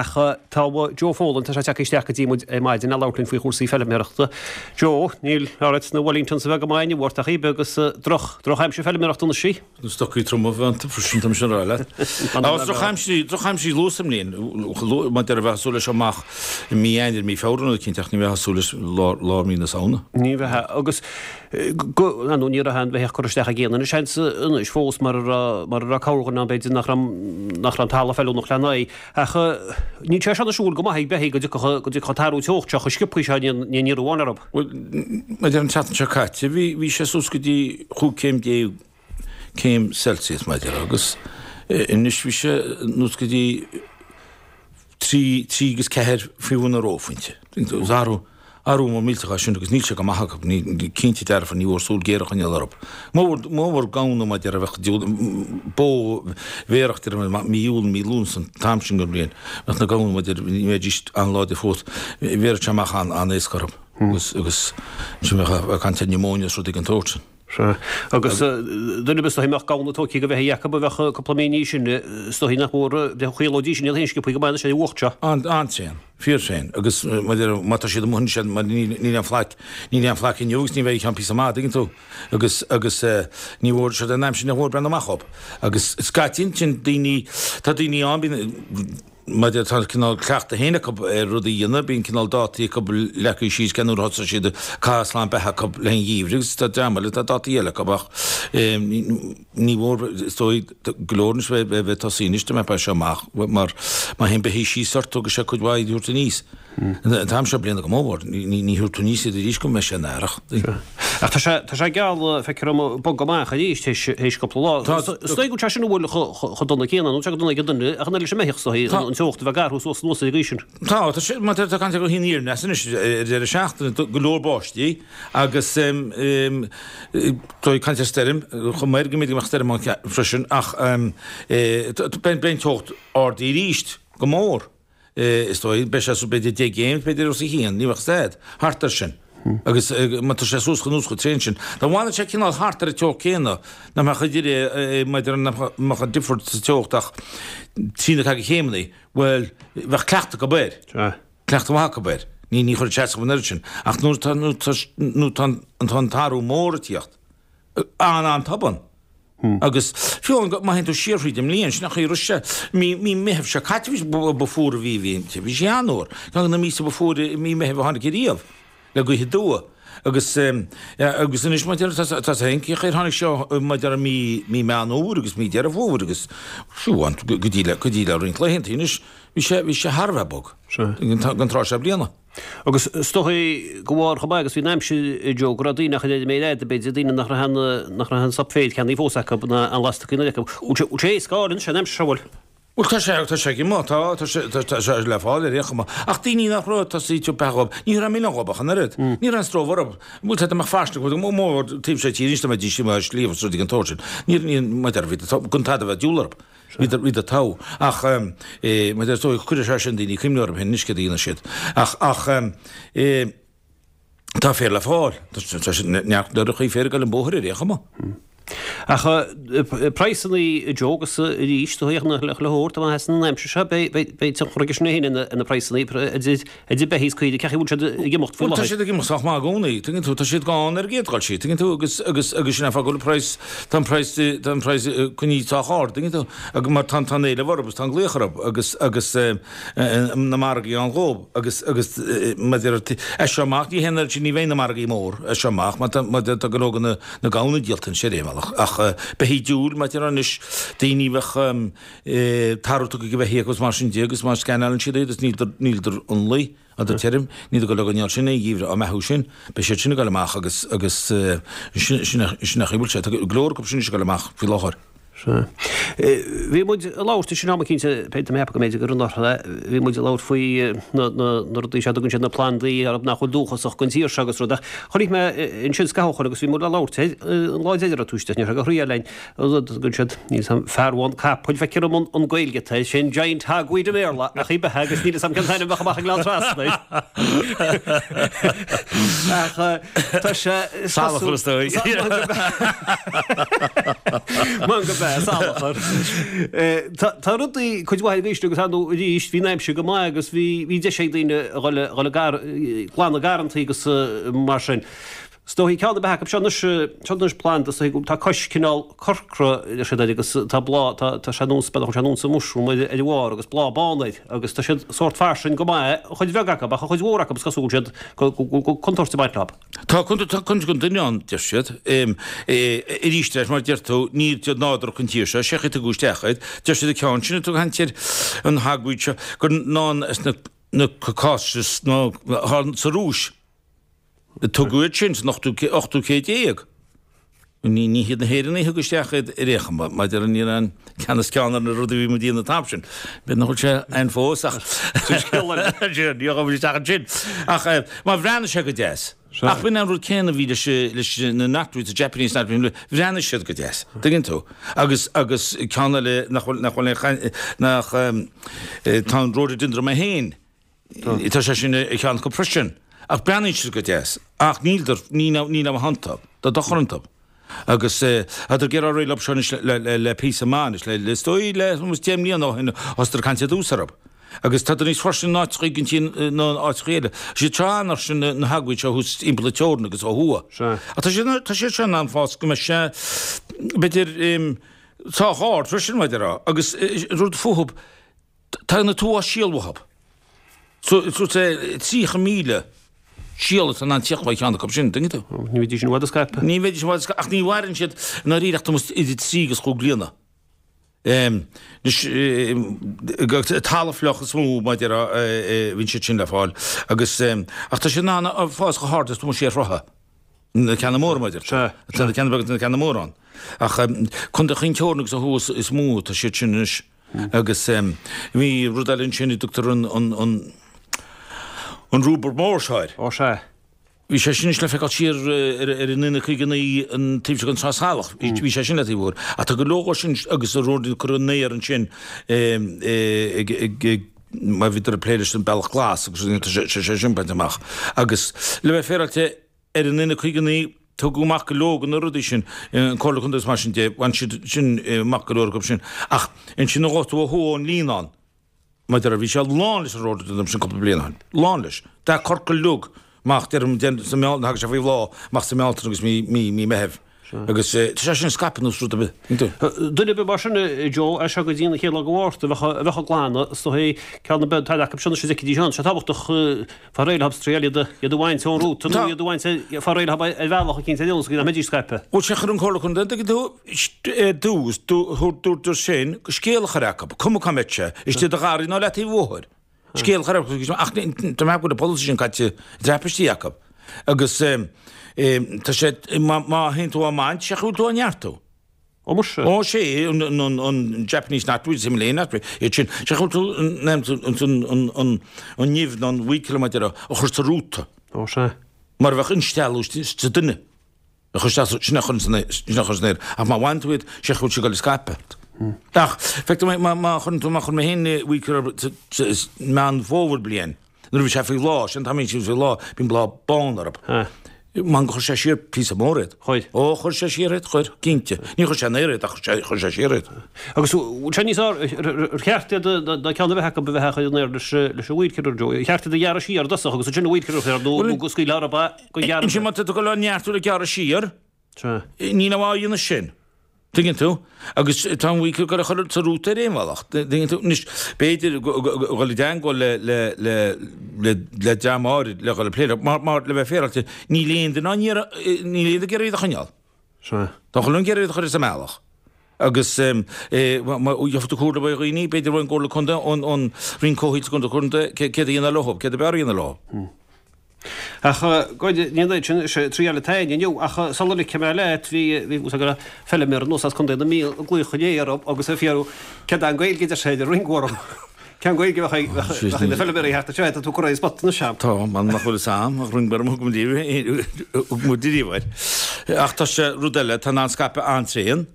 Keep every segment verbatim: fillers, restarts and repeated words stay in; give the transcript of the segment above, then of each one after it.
Ach tá Joe Folan, tá sé tagtha isteach go dtí muid ar maidin le labhairt linn faoi chúrsaí feilméarachta. Joe, níl oiread na Wellingtons a bheith go maith inniu ort ach ibe agus droch, drochaimsir feilméarachta anois í. Na stocaí troma a bheith iontu freisin, tá mise ag rá leat. Agus drochaimsir, drochaimsir luath sa mbliain, mar a déarfá bheifeá ag súil leis seo amach i mí Eanáir, mí Feabhra nó cinnte ach ní bheifeá ag súil leis lár, lár mí na Samhna. Ní bheifeá, agus go, nó ní raibh aon bheithíoch curtha isteach ag aon duine seans anois fós mar a raibh, mar a raibh corrdhuine ann b'fhéidir nach raibh, nach raibh an talamh feiliúnach lena aghaidh. Ach níl sé seo ag siúl go maith ag beithígh go dtiocfadh go dtiocfadh an t-athrú teochta seo chomh sciobtha seo ní ní raibh amháin orthu. Bhuel, maidir an tseachtain seo caite, bhí bhí sé suas go dtí chúig céim déag céim Celsius maidir agus anois bhí sé anuas go dtí trí trí agus ceathair faoi bhun an reophointe. Is athrú Athrú mór millteach é sin agus níl sé go maith acu, ní, cinnte dearfa, ní mhór súil ghéar a choinneáil orthu. Mór, mór gamhna mar a déarfá bheadh diabhal, bó bhéarach déarfainn, mí Iúil, mí Lúnasa, an t-am sin den bhliain, bheadh na gamhna mar a déarfá, ní bheidís an-láidir fós, bhéarfadh sé amach an-éasca orthu agus, agus ansin bheadh, bheadh caint ar pneumonia is rudaí den tsórt sin. Sea. Agus duine ar bith is dóichí a mbeadh gamhna tógtha de bheithígh acu a bheadh cúpla mí níos sine, is dóichí nach mór, chaolóidís iad féin sciobtha go maith anois ar an bhfuacht seo. An-tréan. Fíorthréan. Agus má tá siad amuigh ansin, mar níl aon phlaic, níl aon phlaic inniu agus ní bheidh i gceann píosa maith, tuigeann tú. Agus, agus ní mhór, siod an aimsir nach mór breathnú amach dhób. Agus scaití ansin daoine, tá daoine ann, bíonn, mar a déarfá tá cineál cleachtadh féin acu ar rudaí a dhéanamh, bíonn cineál dátaí acu leagtha síos cén uair a thosaigh siad ag caitheamh slam beatha acu le haghaidh an gheimhridh agus tá dream eile, tá dátaí eile acu ach ní mhór, is dóigh, go leor anois bheith ag tosaí anois dá mbeadh seo amach mar má théann beithígh síos ort tógfaidh sé cuid mhaith iad a thabhairt aníos. An t-am seo bliana go mór, ní thabharfaidh tú aníos iad arís go mbeidh sé ina earrach. Ach tá sé tá sé geall feictear dom bogadh amach arís théis cúpla lá. Is dóigh go bhfuil sé sin an bhfuil chomh dona céanna, nó tá sé go dona ag an duine ach an oiread leis an mbeithíoch is dóigh, an teocht a bheith ag athrú suas anuas ar an gcaoi sin. Tá, tá sé, má tá caint ar ghaoth aniar aneas anois ar deireadh seachtaine, go leor báistí agus tá caint ar stoirm, chomh maith go mb'fhéidir go mbeadh stoirm ann freisin ach beidh an teocht ard arís go mór is dóigh, beidh sé b'fhéidir deich gcéim, b'fhéidir os a chionn, ní bheadh stad, thart air sin. Agus má tá sé suas anuas chomh tréan sin, dá bhfanadh sé cineál thart ar an teocht céanna, nach mbeadh idir maidir nach mbeadh an difear sa teocht ach trí nó ceathair de chéimeanna, bhuel, bheadh cleachtadh acu air. Cleachtadh maith acu air. Ní ní chuirfeadh sé as an oiread sin. Ach nuair atá nuair atá nuair atá an an t-athrú mór ag tíocht, an-an-tobann. Agus fiú amháin má théann tú siar thríd an mbliain, sin an chaoi a raibh sé, mí mí Meithimh seo caite bhí ba fuaire a bhí bhí bhí sé an-fhuar. Ceann de na míosa ba fuaire i mí Meithimh a tháinig ariamh, le gaoth aduaidh. Agus agus anois mar a déarfá tá féin cén chaoi ar tháinig seo mar a déarfá mí mí Meán Fhómhair agus mí Deireadh Fómhair agus fiú amháin go dtí le go dtí le roinnt laethanta anois bhí sé bhí sé thar a bheith bog don tráth seo bliana. Agus is dóigh go bharr chomh maith agus bhí an aimsir Joe go raibh daoine ach ar méid fhada b'fhéidir daoine nach raibh aon nach raibh aon sop féir ceannaithe fós acu ná aon lascaine acu. Bhfuil sé éasca a fháil anois an aimsir seo bhfuil? Bhuel, tá sé, tá sé ag imeacht, tá, tá sé, tá, tá sé le fáil ar aon chuma. Ach daoine nach raibh tosaí ag beathú dhób, ní raibh milleán dhób ach an oiread. Ní raibh aon stró orthu. Bhuel, tá, dá mbeadh fairsinge acu, go mór taobh seo tíre anois, dá mbeidís amuigh ar sliabh is rudaí den tsórt sin. Ní, ní, mar a déarfá, bhí gan tada a bheith diabhal orthu. Bhíodar, bhíodar togha. Ach, eh, mar a déarfá, is dóigh, cuirfidh sé sin daoine cuimhne orthu féin anois céard a dhéanfaidh siad. Ach, ach, eh, Tá féar le fáil. Tá sé neart lorrachaí féir ag dul an bóthar ar aon chuma. Ach praghsanna Joe agus arís do théadh na le hór tá maith san aimsir seo beidh tionchar aige sin féin ar na praghsanna idir idir beithígh is caoirigh cén chaoi a bhfuil siad ag imeacht faoi Bhuel tá láthair. siad ag imeacht sách maith i gcónaí, tuigeann tú, tá siad gann ar an gcéad dhul síos, tuigeann tú, agus agus agus sin é an fáth go bhfuil an praghas, tá an praghas, tá an praghas coinnithe sách ard, tuigeann tú, agus mar tá tá an éileamh orthu agus tá an glaoch orthu agus agus na margaí ann dhób agus agus mar a déarfá as seo amach ní haon oiread sin ní bheidh na margaí mór as seo amach mar tá mar tá go leor de na na gamhna díolta anois ar aon bhealach ach beithígh diúil mar a déarfá anois daoine a bheadh tarbh tugtha ag beithígh agus mar sin de agus má scannálann siad iad is níl níl ionlaí níl tirim níl go leor den sin aon gheimhreadh á mbeathú sin beidh siad sin ag dul amach agus agus sin sin sin a chaoi a bhfuil sé tá go leor acu sin ag dul amach faoi láthair. Sea. Bhí muid ag labhairt sin am eicínt, b'fhéidir, mé a cheapadh go mb'fhéidir gur anuraidh é, bhí muid ag labhairt faoi na, na, na rudaí seo a dtugann siad na plandaí arb nach bhfuil dúchasach don tír seo agus rud ach chonaic mé ansin scaitheamh ó shoin agus bhí muid ag labhairt air an lá deireanach an tuaisceart, ní raibh sé go thriail linn, an rud a dtugann siad, níl 'fhios a'm, fearbhán capaill, feictear dom an, an Gaeilge atá air, sin giant hogweed i mBéarla ach í beatha agus níl 'fhios a'm cén t-ainm a bheadh amach i nGleann Trasna air. Ach tá sé, is Salachar cosúil, is dóigh. Go Sea, salachar. Tá rudaí cuid mhaith arís agus ar ndóigh arís bhí an aimsir go maith agus bhí bhí deis ag daoine a dhul a dhul ag glanadh garrantaí agus mar sin. Is dóigh ceann ar bith acu seo anois seo anois planda is dóigh tá cois cineál corcra deir siad air agus tá bláth tá tá sé nós b'fhéidir sé nós mushroom ar ar a bharr agus bláth bán air agus tá siad sórt fairsing go maith an chuid bheag acu ach an chuid mhór acu is cosúil go bhfuil siad go go go contúirt ag baint leo. Tá tá contúirt don duine ann, deir siad. Arís leis, mar a deir tú, níl siad nádúrtha don tír seo, sé chaoi a tugadh isteach iad. Deir siad an ceann sin a tugadh caint air, an hogweed seo, gur ná sna na Caucasus nó sa Rúis a tugadh iad sin san ochtú ochtú céad déag. Ní ní hiad na hÉireannaigh a thug isteach iad ar aon chuma, maidir ní raibh an ceann is ceann ar na rudaí a bhí muid a dhéanamh an t-am sin. B'fhéidir nach bhfuil sé ann fós ach Sin scéal eile. Ní ghabhfaidh muid isteach ansin. Ach má bhreathnaigh sé go deas. Ach b'in an rud céanna a bhí leis leis na knotweeds, the Japanese knotweeds, bhreathnaigh siad go deas, tuigeann tú. Agus agus ceann eile nach bhfuil nach bhfuil aon chaint nach tá an rhododendron é féin, tá sé sin ar cheann acu freisin. Ach breathnaíonn siad go deas. Ach níl ní níl a iontu, tá dochar iontu. Agus tá ag iarraidh réidh leo seo anois le píosa maith anois, le is dóigh le deich mbliana ó shin thosaíodar ag caint ar dtús orthu. Agus tá níos fairsinge in áiteachaí den tír ná in áiteachaí eile. Siad seo an-fhairsing na hogweeds seo thuas timpeall na teorann agus ó thuaidh. Ach tá siad tá siad seo in ann fás go mbeidh sé b'fhéidir sách ard freisin mar a déarfá. Agus rud fúthu, tá na tuath síol uathu. So tríocha míle síol atá in ann tíocht ó cheann acu sin, tuigeann tú? Ní bheidís i bhfad ag scaipeadh. Ní bheidís i bhfad ag scaipeadh, ach ní mhaireann siad i ndáiríre ach tomhas idir trí agus chúig bliana. Anois, talamh fliuch is mó mar a déarfá a bhíonn siad sin le fáil agus, ach tá siad in ann fás chomh hard is tomhas sé throithe, na ceanna móra mar a deir. Tá na ceanna beaga agus na ceanna móra ann. Ach Contae Chinn Teorann agus ó thuaidh is mó atá siad sin anois. Agus bhí rud eile ansin a dtugtar an, an, an, an rúbar mór seo air. Ó sea. Bhí sé sin anois le feiceáil siar ar, ar an N caoga naoi an taobh seo den Sraith Salach. Bhí, bhí sé sin le taobh uair. Ach tá go leor dhó sin agus a rud cuireadh an aer ansin ag, ag, ag, mar bhíodar ag plé leis an Bealach Glas agus tá sé, sé sin bainte amach. Agus le bheith féaráilte ar an N caoga naoi tugadh amach go leor de na rudaí sin, an Comhairle Contae agus mar sin de, bhain siad sin amach go leor acu sin. Ach ansin a ghabh tú ó thuaidh ón Líonán, mar a déarfá, bhí sé lán leis an rhododendron sin cúpla bliain ó shin. Lán leis. Dath corcra uilig amach, deirim, sa mBealtaine, thagadh sé faoi bhláth amach sa mBealtaine agus mí, mí, mí Meithimh. Agus tá sé sin scaipthe nós rud ar bith. Duine ar bith mar sin, a Joe, as seo go dtí an chéad lá de Mhárta, a bheadh, a bheadh ag glanadh, is dóigh, ceann ar bith, tá acu sin anois a d'fheicfidís ann. Tá sé tábhachtach fáil réidh leo triail iad a, iad a bhaint ón rúta nó iad a bhaint fáil réidh leo ar bhealach eicínt ar nós go mbeidís scaipthe. Bhuel, sé chuir an Comhairle Contae, an dtuigeann tú, ar dtús, dúirt sin go scéal a chur acu, cuma cá mbeadh sé, istigh i do gharraí nó leataobh an bhóthair. Scéal a chur acu, ach tá mé ag ceapadh go bhfuil an polasaí sin caite i dtraipisí acu. Agus tá sé, má théann tú á mbaint, sé chaoi a bhfuil tú á neartú. Ó muise. Ó sé, an Japanese knotweed, Himalayan knotweed, iad sin, sé chaoi a bhfuil tú an nimh nó an weed killer mar a déarfá, a chur sa rúta. Ó sea. Mar a bheadh instealladh sa duine. A chur isteach, sin a chur san aer. Ach má bhaineann tú iad, sé chaoi a bhfuil siad ag dul ag scaipeadh. Ach feictear dom, má chuireann tú, má chuir mé féin weed killer Meán Fómhair bliain, nuair a bhí sé faoi bhláth, sin an t-am a bhíonn siad faoi bhláth, bíonn bláth bán orthu. Man chuir sé siar píosa mór iad. Chuir. Ó, chuir sé siar iad, chuir, cinnte. Ní chuir sé in aer iad ach chuir sé siar iad. Agus bhfuil sé níos fearr, ar cheart iad ná ceann ar bith acu a bheith á chur in aer leis an weed killer, Joe? Ar cheart iad a ghearradh siar i dtosach agus ansin an weed killer a chur air nó go scaoilfeá orthu é go gearradh Ansin má tá tú ag dul á neartú le gearradh siar, níl á dhéanamh sin. Tuigeann tú? Agus tá an weed killer ag dul a chur sa rúta ar aon bhealach. Tuigeann tú? Anois, b'fhéidir go dhul i dteangmháil le, le, le, le, le dream áirid le dhul ag plé leo, mar, mar le bheith féaráilte, níl aon duine á n-iarraidh, níl aon duine ag iarraidh iad a choinneáil. Sea. Tá chuile dhuine ag iarraidh iad a chur as a mbealach. Agus gheobhaidh tú comhairle ó dhaoine, b'fhéidir ón gComhairle Contae, ón, ón Roinn Comhshaoil sa gContae, Contae, céard a dhéanamh leo, céard ab fhearr a dhéanamh leo. Ach ní an sin sé trí eile atá inniu ach sula ligfidh mé leat bhí bhí fhios ag feilméara anuas as Contae na Mí ag glaoch inné orm agus ag fiafraí céard é an Ghaeilge a deir sé ar ring orm. Cén Ghaeilge a bheadh ag na feilméaraí thart anseo tá tú curtha ar an spot anois a'm. Tá, man nach bhfuil fhios a'm ach ring orm thug muid riamh air. Ach tá sé rud eile tá in ann scaipeadh an-tréan.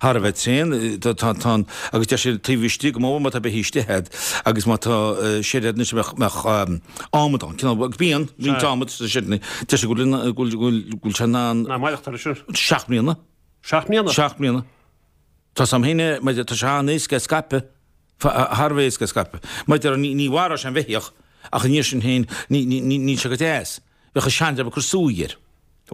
Thar a bheith tréan, tá an, agus deir siad taobh istigh go mór má tá beithígh istigh a'd agus má tá seid a'd anois a mbeadh adhmad ann, cineál, agus bíonn roinnt adhmad sa seideanna, deir siad go bhfuil, go bhfuil, go bhfuil sé in ann. Ná maireachtáil leis sin. Seacht mbliana. Seacht mbliana? Seacht mbliana. Tá sam féin, mar tá sé an-éasca é scaipeadh, thar a bheith éasca é scaipeadh. Mar deir, ní mharódh sé an bheithíoch, ach an iarraidh sin féin, níl sé go deas. Bheadh an seandream ag cur súigh air.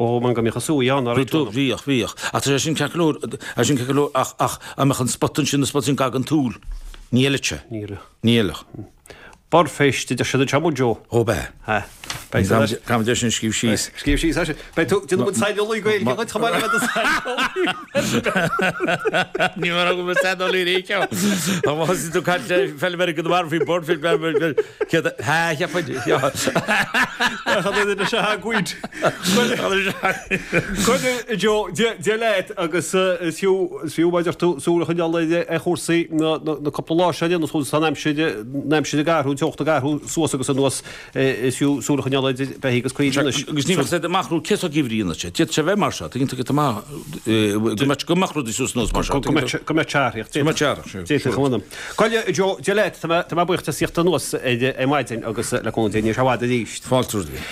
Ó, man go mbíodh an súigh ann, ar Bhíodh, bhíodh, bhíodh. Ach tá sé sin ceart go leor, tá sin ceart go leor, ach, ach, a mbeadh an spota ansin, an spota sin gar don tsúil, ní fheilfeadh sé. Ní fheilfeadh. Ní fheilfeadh. Birdpheist, a deir siad anseo, Joe. Ó b'ea. Ha. Beidh tú leis. Caithfidh muid é sin a scríobh síos. Scríobh síos, é. Beidh tú, déanfaidh muid saineolaí Gaeilge dhuit chomh maith le bheith i do saineolaí. Ní mar go bhfuil saineolaí ar éigean. Tá má thosaigh tú caint le feilméara go marbh faoi birdfish, céad, ha, cheapfainn. Cad é duine seo a gcuid. Coinne, Joe, Dia leat agus is fiú, is fiú, mar a deir tú, súil a choinneáil ar chúrsaí na, na cúpla lá seo anuas, tá an aimsir, an aimsir ag athrú, an teocht ag athrú suas agus anuas, is fiú súil a choinneáil ar bheithígh agus caoirigh anois. Agus ní bheadh siad amach rud cé seo geimhridh anois, d'fhéadfadh sé bheith mar seo, tuigeann tú go maith, go mbeadh, go mbeadh rudaí suas anuas mar seo. Go mbeadh, go mbeadh tearthaíocht. Go mbeadh tearthaíocht, D'fhéadfadh, a mh'anam. Coille, Joe, Dia leat, tá mé, tá mé buíoch as a thíocht anuas ar maidin agus le cúnamh Dé ní raibh sé i bhfad arís. Fáilte romhat.